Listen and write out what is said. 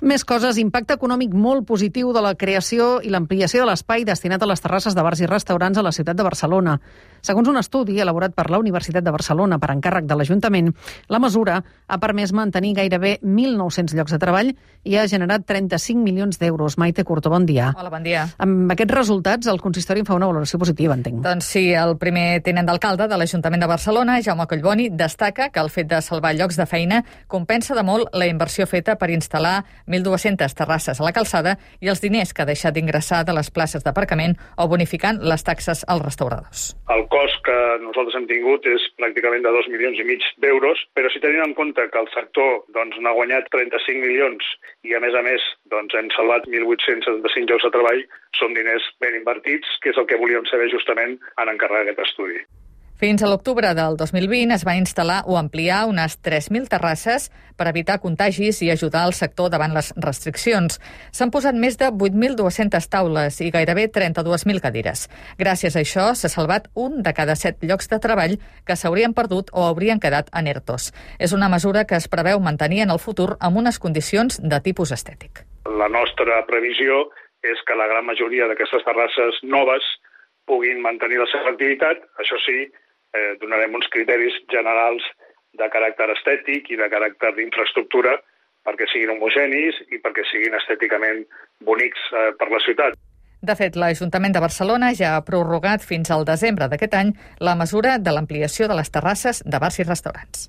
Més coses, impacte econòmic molt positiu de la creació i l'ampliació de l'espai destinat a les terrasses de bars i restaurants a la ciutat de Barcelona. Segons un estudi elaborat per la Universitat de Barcelona per encàrrec de l'Ajuntament, la mesura ha permès mantenir gairebé 1.900 llocs de treball i ha generat 35 milions d'euros. Maite Curto, bon dia. Hola, bon dia. Amb aquests resultats, el consistori en fa una valoració positiva, entenc. Doncs sí, el primer tinent d'alcalde de l'Ajuntament de Barcelona, Jaume Collboni, destaca que el fet de salvar llocs de feina compensa de molt la inversió feta per instal·lar 1.200 terrasses a la calçada i els diners que ha deixat d'ingressar de les places d'aparcament o bonificant les taxes als restauradors. El cost que nosaltres hem tingut és pràcticament de 2,5 milions d'euros, però si tenim en compte que el sector n'ha guanyat 35 milions i a més hem salvat 1.875 llocs de treball, són diners ben invertits, que és el que volíem saber justament en encarregar aquest estudi. Fins a l'octubre del 2020 es va instal·lar o ampliar unes 3.000 terrasses per evitar contagis i ajudar el sector davant les restriccions. S'han posat més de 8.200 taules i gairebé 32.000 cadires. Gràcies a això s'ha salvat un de cada 7 llocs de treball que s'haurien perdut o haurien quedat en ERTOs. És una mesura que es preveu mantenir en el futur amb unes condicions de tipus estètic. La nostra previsió és que la gran majoria d'aquestes terrasses noves puguin mantenir la seva activitat, això sí, donarem uns criteris generals de caràcter estètic i de caràcter d'infraestructura perquè siguin homogenis i perquè siguin estèticament bonics per la ciutat. De fet, l'Ajuntament de Barcelona ja ha prorrogat fins al desembre d'aquest any la mesura de l'ampliació de les terrasses de bars i restaurants.